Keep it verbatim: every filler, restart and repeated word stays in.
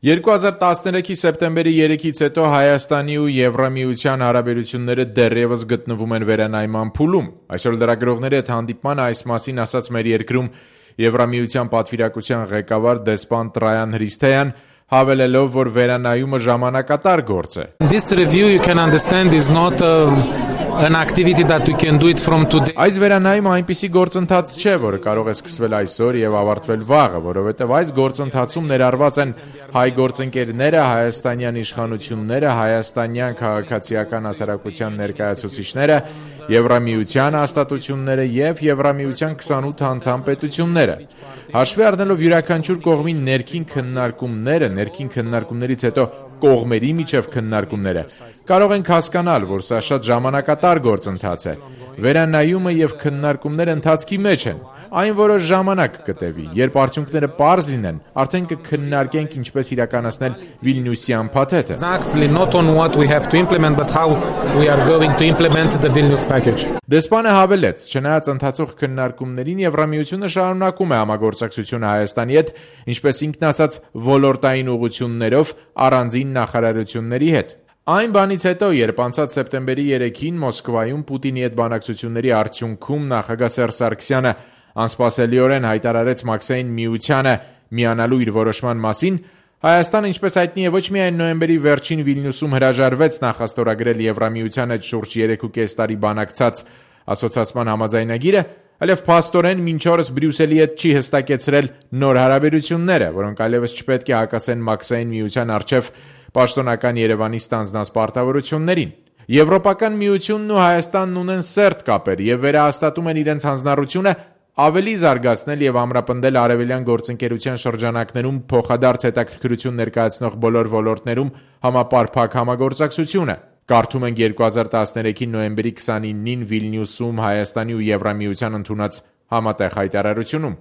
երկու հազար տասներեքի սեպտեմբերի երեքից հետո Հայաստանի ու Եվրամիության հարաբերությունները դեռևս գտնվում են վերանայման փուլում։ Այսօր լրագրողների հետ հանդիպման այս մասին ասաց մեր երկրում Եվրամիության պատվիրակության ղեկավար դեսպան Տրայան Հրիստեյան, հավելելով, որ վերանայումը ժամանակատար գործ է։ This review you can understand is not a, an activity that we can do it from today. Այս վերանայումը այնպիսի գործընթաց չէ, որը կարող է սկսվել այսօր եւ ավարտվել վաղը, որովհետեւ այս գործընթացում ներառված են հայ գործընկերները, հայաստանյան իշխանությունները, հայաստանյան քաղաքացիական հասարակության ներկայացուցիչները, Եվրամիության հաստատությունները եւ Եվրամիության քսանութ անդամ պետությունները։ Հաշվի առնելով յուրաքանչյուր կողմի ներքին քննարկումները, ներքին քննարկումներից հետո կողմերի միջև քննարկումները, կարող ենք հասկանալ, որ սա շատ ժամանակատար գործընթաց է։ Վերանայումը եւ քննարկումները ընթացքի մեջ են։ Այն որոշ ժամանակ կտևի, երբ արդյունքները պարզ լինեն, արդեն կքննարկենք ինչպես իրականացնել Վիլնյուսյան փաթեթը։ Exactly not on what we have to implement but how we are going to implement the Vilnius package. Դեսպանը հավելեց, չնայած ընթացող քննարկումներին Եվրամիությունը շարունակում է համագործակցությունը Հայաստանի հետ, ինչպես ինքն ասաց, ոլորտային ուղղություններով առանձին նախարարությունների հետ։ Այն բանից հետո, երբ անցած սեպտեմբերի երեքին Մոսկվայում Պուտինի հետ բանակցությունների արդյունքում նախագահ Սերժ Սարգսյանը անսպասելիորեն հայտարարեց Մաքսային միությանը միանալու իր որոշման մասին, Հայաստանը, ինչպես հայտնի է, ոչ միայն նոյեմբերի վերջին Վիլնյուսում հրաժարվեց նախաստորագրել Եվրամիության հետ շուրջ երեք ու կես տարի բանակցած ասոցիացիան համաձայնագիրը, այլև փաստորեն մինչ օրս Բրյուսելի հետ չի հստակեցրել նոր հարաբերությունները, որոնք այլևս չպետք է հակասեն Մաքսային միության առջև պաշտոնական Երևանի ստանձնած պարտավորություններին։ Եվրոպական միությունն ու Հայաստանն ունեն սերտ կապեր եւ վերահաստատում են իրենց հանձնառությունը ավելի զարգացնել եւ ամրապնդել արևելյան գործընկերության շրջանակներում փոխադարձ հետաքրքրություն ներկայացնող բոլոր ոլորտներում համապարփակ համագործակցությունը։ Կարդում ենք երկու հազար տասներեքի նոյեմբերի քսանինին Վիլնյուսում Հայաստանի ու Եվրամիության ընդունած համատեղ հայտարարությունում։